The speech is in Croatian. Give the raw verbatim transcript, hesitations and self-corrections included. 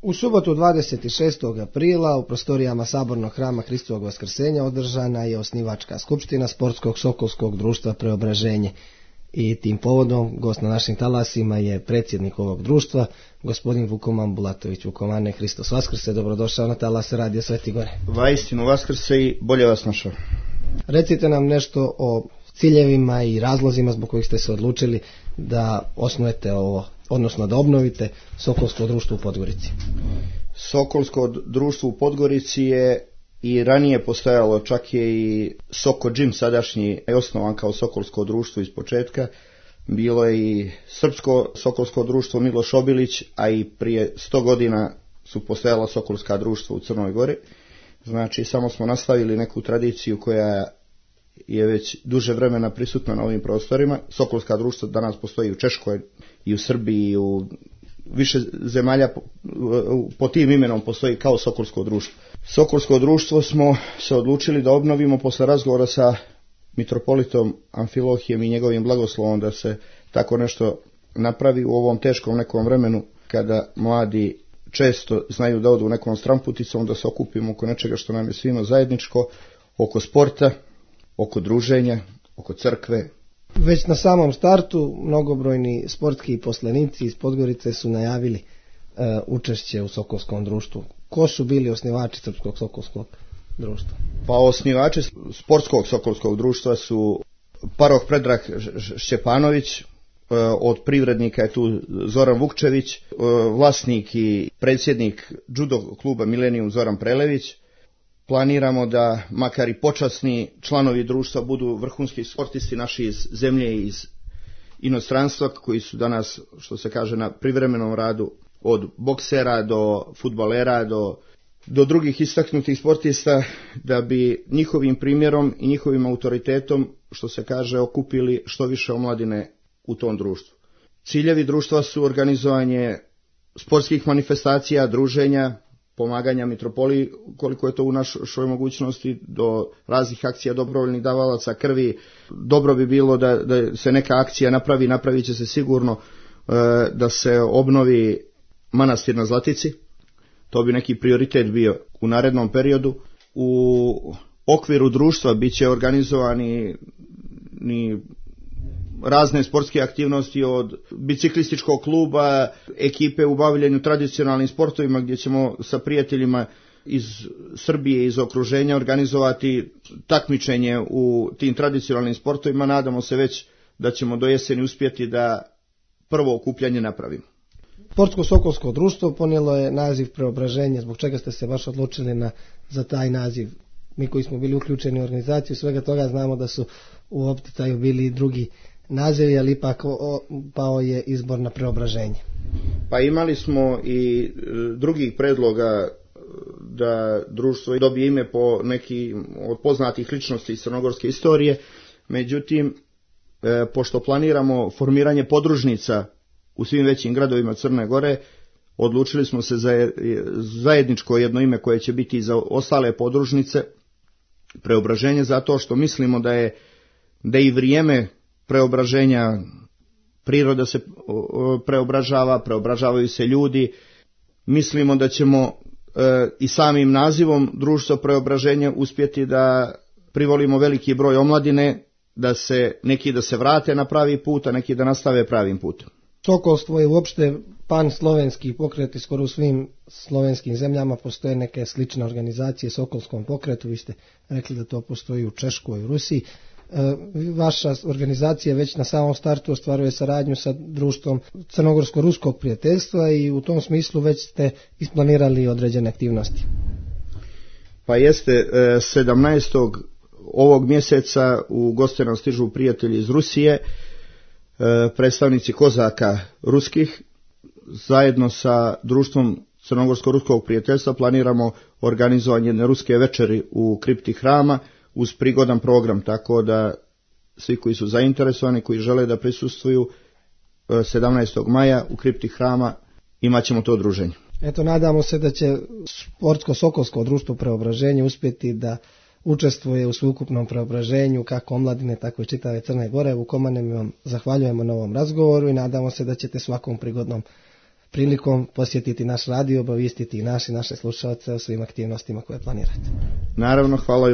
U subotu dvadeset šestog aprila u prostorijama Sabornog hrama Hristovog Vaskrsenja održana je osnivačka skupština Sportskog sokolskog društva Preobraženje. I tim povodom gost na našim talasima je predsjednik ovog društva, gospodin Vukoman Bulatović. Vukomane, Hristos Vaskrse, dobrodošao na talase Radio Sveti Gore. Vaistinu Vaskrse i bolje vas našao. Recite nam nešto o ciljevima i razlozima zbog kojih ste se odlučili da osnujete ovo, odnosno da obnovite Sokolsko društvo u Podgorici. Sokolsko društvo u Podgorici je i ranije postojalo, čak je i Soko Gym sadašnji je osnovan kao Sokolsko društvo iz početka. Bilo je i Srpsko Sokolsko društvo Miloš Obilić, a i prije sto godina su postojala Sokolska društva u Crnoj Gori. Znači, samo smo nastavili neku tradiciju koja je već duže vremena prisutna na ovim prostorima. Sokolska društva danas postoji u Češkoj i u Srbiji i u više zemalja po, po tim imenom postoji kao Sokolsko društvo. Sokolsko društvo smo se odlučili da obnovimo posle razgovora sa mitropolitom Amfilohijem i njegovim blagoslovom da se tako nešto napravi u ovom teškom nekom vremenu kada mladi često znaju da odu nekom stramputicom, da se okupimo oko nečega što nam je svima zajedničko, oko sporta, oko druženja, oko crkve. Već na samom startu mnogobrojni sportski poslenici iz Podgorice su najavili uh, učešće u Sokolskom društvu. Ko su bili osnivači Srpskog Sokolskog društva? Pa osnivači Sportskog Sokolskog društva su paroh Predrag Šćepanović, uh, od privrednika je tu Zoran Vukčević, uh, vlasnik i predsjednik judo kluba Milenijum Zoran Prelević. Planiramo da makar i počasni članovi društva budu vrhunski sportisti naši iz zemlje i iz inostranstva koji su danas, što se kaže, na privremenom radu, od boksera do fudbalera do, do drugih istaknutih sportista, da bi njihovim primjerom i njihovim autoritetom, što se kaže, okupili što više omladine u tom društvu. Ciljevi društva su organizovanje sportskih manifestacija, druženja, pomaganja mitropoliji koliko je to u našoj mogućnosti, do raznih akcija dobrovoljnih davalaca krvi. Dobro bi bilo da, da se neka akcija napravi, napravit će se sigurno, e, da se obnovi manastir na Zlatici. To bi neki prioritet bio u narednom periodu. U okviru društva bit će organizovani ni razne sportske aktivnosti, od biciklističkog kluba, ekipe u bavljenju tradicionalnim sportovima gdje ćemo sa prijateljima iz Srbije i iz okruženja organizovati takmičenje u tim tradicionalnim sportovima. Nadamo se već da ćemo do jeseni uspjeti da prvo okupljanje napravimo. Sportsko Sokolsko društvo ponijelo je naziv Preobraženje. Zbog čega ste se baš odlučili na, za taj naziv? Mi koji smo bili uključeni u organizaciju svega toga znamo da su u opticaju bili i drugi nazivi, ali ipak pao je izbor na Preobraženje. Pa imali smo i drugih predloga da društvo dobije ime po neki od poznatih ličnosti iz crnogorske istorije, međutim, e, pošto planiramo formiranje podružnica u svim većim gradovima Crne Gore, odlučili smo se za zajedničko jedno ime koje će biti za ostale podružnice Preobraženje, zato što mislimo da je da i vrijeme preobraženja, priroda se preobražava, preobražavaju se ljudi. Mislimo da ćemo e, i samim nazivom društva Preobraženja uspjeti da privolimo veliki broj omladine, da se neki da se vrate na pravi put, a neki da nastave pravim putem. Sokolstvo je uopšte pan-slovenski pokret i skoro u svim slovenskim zemljama postoje neke slične organizacije Sokolskom pokretu. Vi ste rekli da to postoji u Češkoj i u Rusiji. Vaša organizacija već na samom startu ostvaruje saradnju sa društvom Crnogorsko-ruskog prijateljstva i u tom smislu već ste isplanirali određene aktivnosti. Pa jeste, sedamnaestog ovog mjeseca u goste nam stižu prijatelji iz Rusije, predstavnici kozaka ruskih. Zajedno sa društvom Crnogorsko-ruskog prijateljstva planiramo organizovanje jedne ruske večeri u kripti hrama uz prigodan program, tako da svi koji su zainteresovani, koji žele da prisustvuju sedamnaestog maja u kripti hrama imat ćemo to druženje. Eto, nadamo se da će Sportsko Sokolsko društvo Preobraženje uspjeti da učestvuje u sveukupnom preobraženju kako omladine, tako i čitave Crne Gore. Vukomane, mi vam zahvaljujemo na ovom razgovoru i nadamo se da ćete svakom prigodnom prilikom posjetiti naš radio, obavijestiti i naši naše slušalce o svim aktivnostima koje planirate. Naravno, hvala